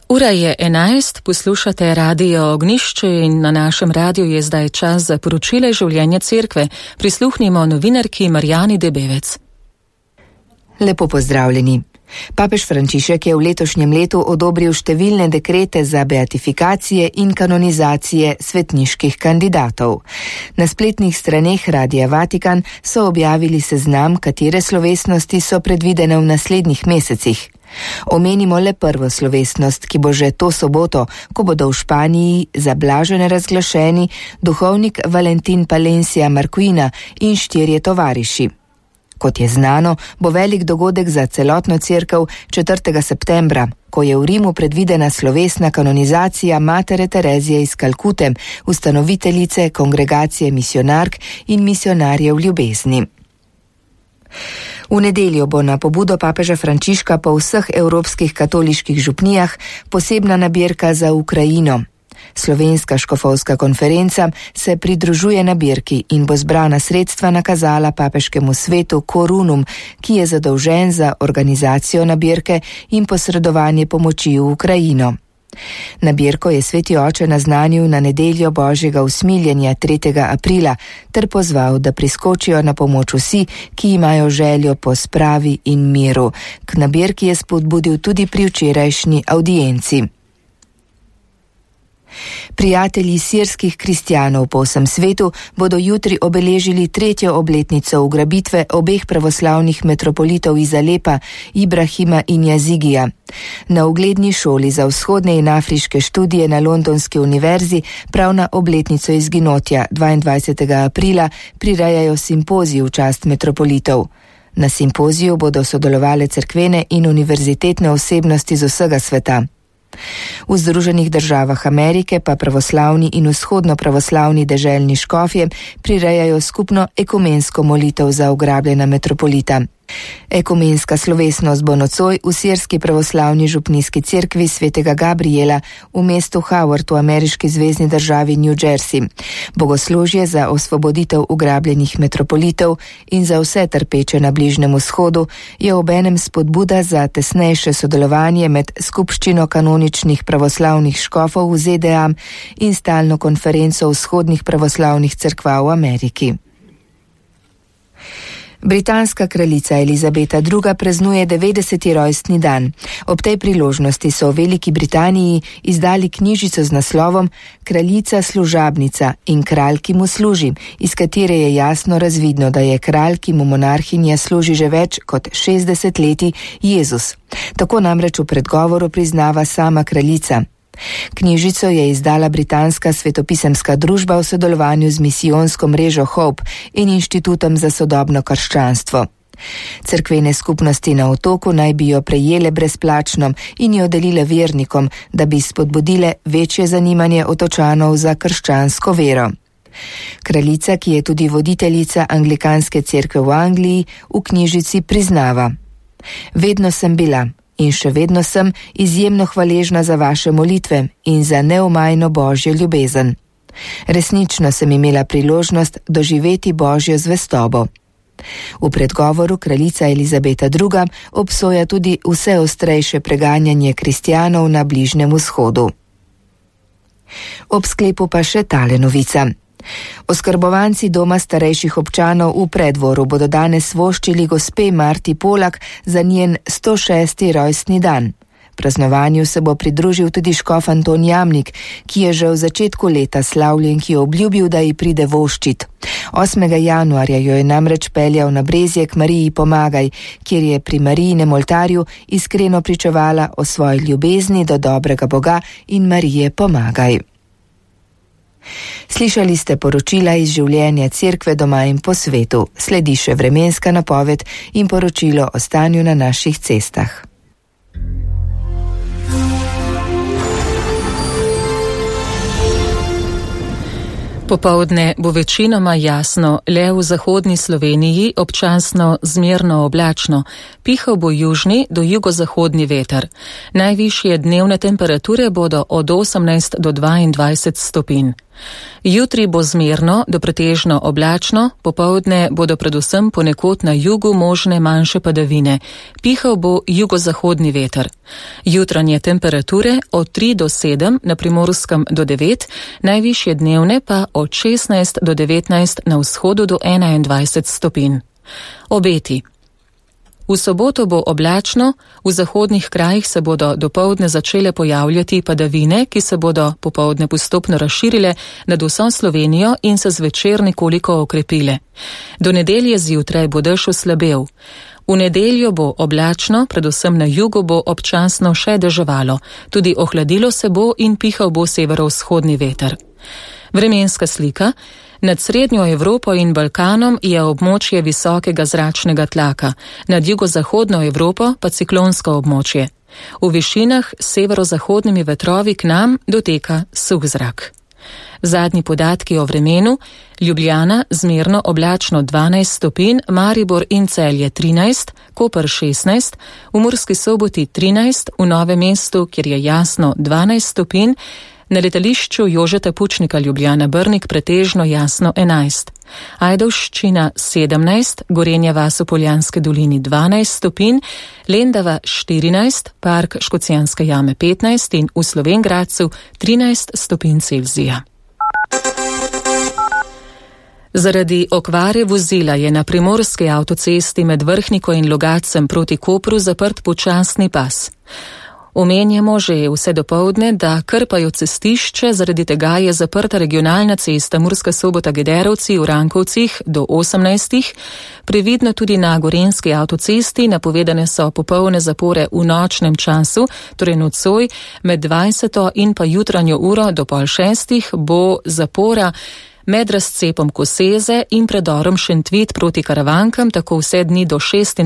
Ura je 11, poslušate Radio Ognjišče in na našem radiju je zdaj čas za poročile življenja cerkve. Prisluhnimo novinarki Marjani Debevec. Lepo pozdravljeni. Papež Frančišek je v letošnjem letu odobril številne dekrete za beatifikacije in kanonizacije svetniških kandidatov. Na spletnih straneh Radia Vatikan so objavili seznam, katere slovesnosti so predvidene v naslednjih mesecih. Omenimo le prvo slovesnost, ki bo že to soboto, ko bodo v Španiji za blažene razglašeni duhovnik Valentin Palencia Marquina in 4 tovariši. Kot je znano, bo velik dogodek za celotno cerkev 4. septembra, ko je v Rimu predvidena slovesna kanonizacija Matere Terezije iz Kalkute, ustanoviteljice kongregacije misionark in misionarjev ljubezni. V nedeljo bo na pobudo papeža Frančiška po vseh evropskih katoliških župnijah posebna nabirka za Ukrajino. Slovenska škofovska konferenca se pridružuje nabirki in bo zbrana sredstva nakazala papeškemu svetu Korunum, ki je zadolžen za organizacijo nabirke in posredovanje pomoči v Ukrajino. Nabirko je sveti oče naznanil na nedeljo Božjega usmiljenja 3. aprila ter pozval, da priskočijo na pomoč vsi, ki imajo željo po spravi in miru. K nabirki je spodbudil tudi pri včerajšnji avdienci. Prijatelji sirskih kristjanov po vsem svetu bodo jutri obeležili 3. obletnico ugrabitve obeh pravoslavnih metropolitov iz Alepa, Ibrahima in Yazigija. Na ugledni šoli za vzhodne in afriške študije na Londonski univerzi prav na obletnico izginotja 22. aprila prirejajo simpozij v čast metropolitov. Na simpoziju bodo sodelovale cerkvene in univerzitetne osebnosti z vsega sveta. V Združenih državah Amerike pa pravoslavni in vzhodno pravoslavni deželni škofje prirejajo skupno ekumensko molitev za ugrabljena metropolita. Ekumenska slovesnost bo nocoj v sirski pravoslavni župnijski cerkvi svetega Gabriela v mestu Howard v ameriški zvezni državi New Jersey. Bogoslužje za osvoboditev ugrabljenih metropolitov in za vse trpeče na Bližnjem vzhodu je obenem spodbuda za tesnejše sodelovanje med skupščino kanoničnih pravoslavnih škofov v ZDA in stalno konferenco vzhodnih pravoslavnih cerkva v Ameriki. Britanska kraljica Elizabeta II. Praznuje 90. rojstni dan. Ob tej priložnosti so v Veliki Britaniji izdali knjižico z naslovom Kraljica služabnica in kralj, ki mu služi, iz katere je jasno razvidno, da je kralj, ki mu monarhinja služi že več kot 60 leti, Jezus. Tako namreč v predgovoru priznava sama kraljica. Knjižico je izdala britanska svetopisemska družba v sodelovanju z misijonsko mrežo Hope in Inštitutom za sodobno krščanstvo. Cerkvene skupnosti na otoku naj bi jo prejele brezplačno in jo delile vernikom, da bi spodbudile večje zanimanje otočanov za krščansko vero. Kraljica, ki je tudi voditeljica anglikanske cerkve v Angliji, v knjižici priznava: Vedno sem bila in še vedno sem izjemno hvaležna za vaše molitve in za neomajno Božjo ljubezen. Resnično sem imela priložnost doživeti Božjo zvestobo. V predgovoru kraljica Elizabeta II. Obsoja tudi vse ostrejše preganjanje kristjanov na Bližnjem vzhodu. Ob sklepu pa še tale novica. Oskrbovanci doma starejših občanov v Preddvoru bodo danes voščili gospe Marti Polak za njen 106. rojstni dan. Praznovanju se bo pridružil tudi škof Anton Jamnik, ki je že v začetku leta slavljenki obljubil, da ji pride voščit. 8. januarja jo je namreč peljal na Brezje k Mariji Pomagaj, kjer je pri Marijinem oltarju iskreno pričevala o svoji ljubezni do dobrega Boga in Marije Pomagaj. Slišali ste poročila iz življenja cerkve doma in po svetu. Sledi še vremenska napoved in poročilo o stanju na naših cestah. Popoldne bo večinoma jasno, le v zahodni Sloveniji občasno zmerno oblačno. Pihal bo južni do jugozahodni veter. Najvišje dnevne temperature bodo od 18 do 22 stopinj. Jutri bo zmerno do pretežno oblačno, popoldne bodo predvsem ponekod na jugu možne manjše padavine. Pihal bo jugozahodni veter. Jutranje temperature od 3 do 7, na Primorskem do 9, najvišje dnevne pa od 16 do 19, na vzhodu do 21 stopinj. Obeti. V soboto bo oblačno, v zahodnih krajih se bodo dopoldne začele pojavljati padavine, ki se bodo popoldne postopno razširile nad vso Slovenijo in se zvečer nekoliko okrepile. Do nedelje zjutraj bo dež oslabel. V nedeljo bo oblačno, predvsem na jugu bo občasno še deževalo, tudi ohladilo se bo in pihal bo severovzhodni veter. Vremenska slika. Nad srednjo Evropo in Balkanom je območje visokega zračnega tlaka, nad jugozahodno Evropo pa ciklonsko območje. V višinah s severozahodnimi vetrovi k nam doteka suh zrak. Zadnji podatki o vremenu: Ljubljana zmerno oblačno 12 stopinj, Maribor in Celje 13, Koper 16, v Murski Soboti 13, v Novem mestu, kjer je jasno, 12 stopinj, na letališču Jožeta Pučnika Ljubljana Brnik pretežno jasno 11, Ajdovščina 17, Gorenja vas v Poljanski dolini 12 stopinj, Lendava 14, Park Škocjanske jame 15 in v Slovenj Gradcu 13 stopinj Celzija. Zaradi okvare vozila je na primorski avtocesti med Vrhniko in Logatcem proti Kopru zaprt počasni pas. Omenjamo že vse dopoldne, da krpajo cestišče, zaradi tega je zaprta regionalna cesta Murska Sobota-Gederovci v Rankovcih do 18. Previdno tudi na Gorenjski avtocesti, napovedane so popolne zapore v nočnem času, torej nocoj med 20. in pa jutranjo uro do 5:30 bo zapora med razcepom Koseze in predorom Šentvid proti Karavankam, tako vse dni do 26.